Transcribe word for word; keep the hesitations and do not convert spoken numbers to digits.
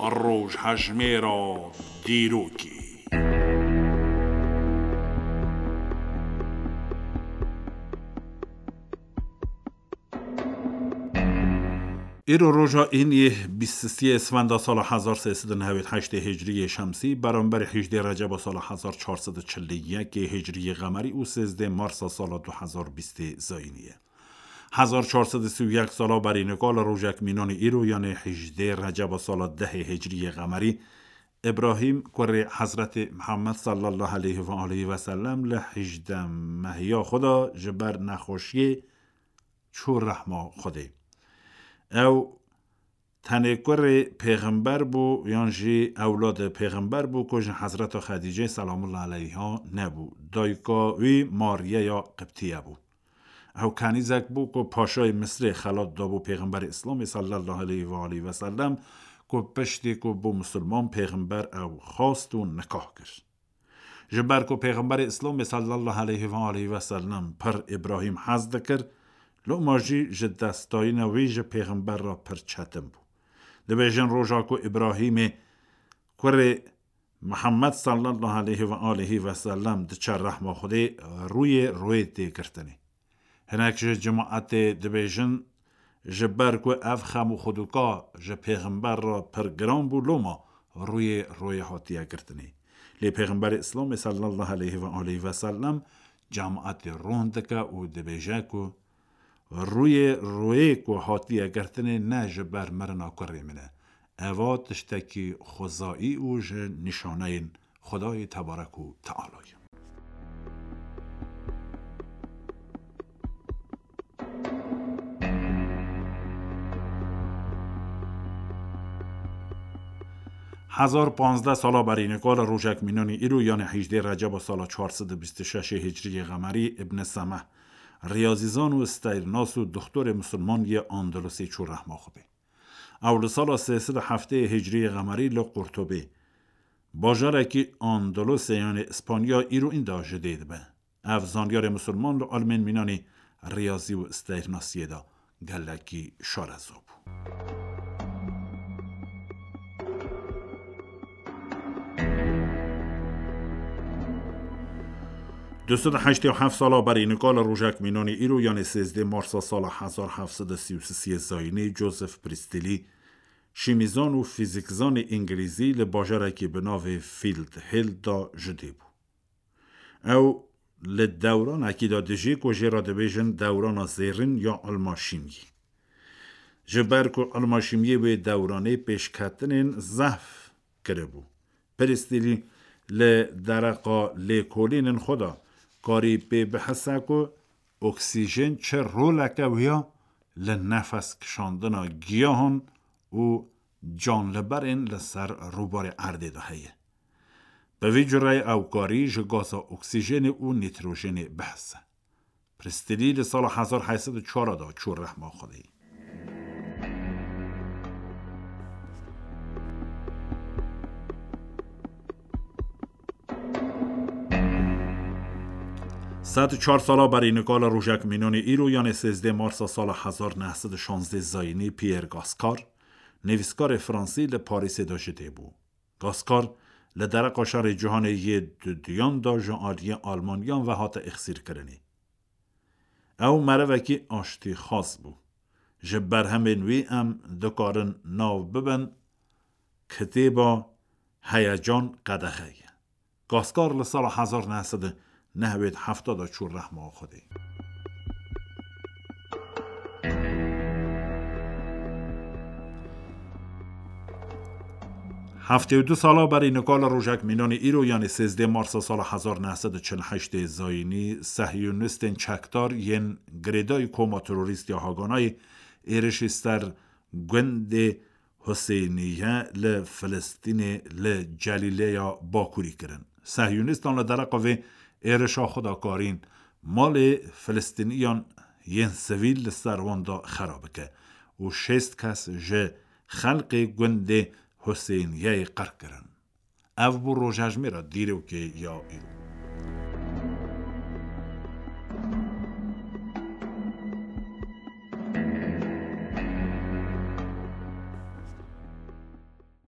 Rojhejmêra dîrokê. Îro roja îniyê bîst û sê Isfenda sala hezar sê sed û newêd heştê Hicriyê Şemsî, beramberî hejdê Receba sala hezar çar sed û çil û yekê Hicriyê Qemerî û sêzdê Marsa sala du hezar bîstê Zayînî ye. Hezar çar sed û sî û yek sala berî nika li rojek mînanî îro, yanê hejdê Receba sala dehê Hicriyê Qemerî, Îbrahîm, kurê Hezretê Mihemed sallallahu aleyhi ve aleyhi ve sellem, li hejdeh mehiya xwe de ji ber nexweşiyê çû rehma Xwedê. Ew tenê kurê pêxember bû, yan jî ewladê pêxember bû ku ji Hezreta Xedîcê selamullah aleyha nebû. Dayika wî Mariyeya Qibtiye bû. Ew kenîzek bû ku paşayê Misrê xelat dabû pêxemberê Îslamê sallallahu aleyhi ve aleyhi ve sellem, ku piştî ku bû misilman, pêxember ew xwest û nikah kir. Ji ber ku pêxemberê Îslamê sallallahu aleyhi ve aleyhi ve sellem pir Îbrahîm hez dikir, loma jî ji destdayîna wî ji pêxember re pir çetin bû. Dibêjin roja ku Îbrahîmê kurê Mihemed sallallahu aleyhi ve aleyhi ve sellem diçe rehma Xwedê, rûyê rûyê tê girtinê. Hinek ji cemaetê dibêjin, ji ber ku ev xem û xwedûka ji pêxember re pir giran bû, loma rûyê rûyê hatiye girtinê. Lê pêxemberê Îslamê sallallahu aleyhi ve aleyhi ve sellem cemaetê rûn dike û dibêje ku rûyê rûyê ku hatiye girtinê ne ji ber mirina kurê min e. Eva tiştekî xwezayî û ji nîşaneyên Xwedayê tebarek û teala ye. Hezar panzdeh sala berî nika li rojek mînanî îro, yanê hejdê Receba sala çar sed û bîst û şeş Hicriyê Qemerî, Ibn Semeh, riyazîzan û steyrnas û doxtorê misilman yê Andalusê çû rehma Xwedê. Ew li sala sê sed û heftê Hicriyê Qemerî li Qurtubê, bajarekî Andalusê, yanê Îspanya, îro înda ji dê dibe. Ev zanyarê misilman li almên mînanî riyazî û steyrnasiyê de gelekî şareza bû. Du sed û heştê û heft sala berî nika li rojek mînanî îro, yanê sêzdê Marsa sala hezar heft sed û sî û sê Zayînî, Joseph Priestley, şîmîzan û fîzîkzanê îngilîzî, li bajarekî bi navê Field Hill de ji dê bû. Ew li dewranekî de dijî ku jê re dibêjin dewrana zêrîn ya ilma şîmyî. Ji ber ku ilma şîmyê wê dewranê pêşketinên zehf kiribû, Priestley li dereqa lêkolînên xwe de karî pê bihise ku oksîjen çi roleke wiya li nefes kişandina giyahan û canliberên li ser rûbarê erdê de heye. Bi vî cureyê ew karî ji gaza oksîjenê û nîtrojenê bihise. Priestley li sala hezar heyt sed û çar de çû rehma Xwedê. Sed û çar sala berî nika li rojek mînanê îro, yanê sêzdê Marsa sala hezar neh sed û şazdeh Zayînî, Pierre Gascar, nivîskarê Fransî, li Parîsê de ji dê bû. Gascar li dereqa şerê cîhanê yê duduyan de ji aliyê Almaniyan ve hate êxsîrkirinê. Ew merivekî aştîxwaz bû. Ji berhemên wî em dikarin nav bibin kitêba Heyecan Qedexe ye. Gascar li sala hezar neh sed û nehwêd hefta de çû rehma Xwedê. Heftê û du sala berî nika li rojek mînanê îro, yanê sêzdê Marsa sala hezar neh sed û çil heştê Zayînî, sehyonîstên çekdar yên girêdayî koma terorîst ya Haganayê êrişî ser gundê Huseyniye li Filistînê li Celîleya Bakurî kirin. Sehyonîstan li dereqa vê êrişa xwe de karîn malê Filistîniyan yên sivîl li ser wan de xera bike û şêst kes ji xelkê gundê Huseyniyeyê qirk kirin. Ev bû rojhejmêra dîrokê ya îro.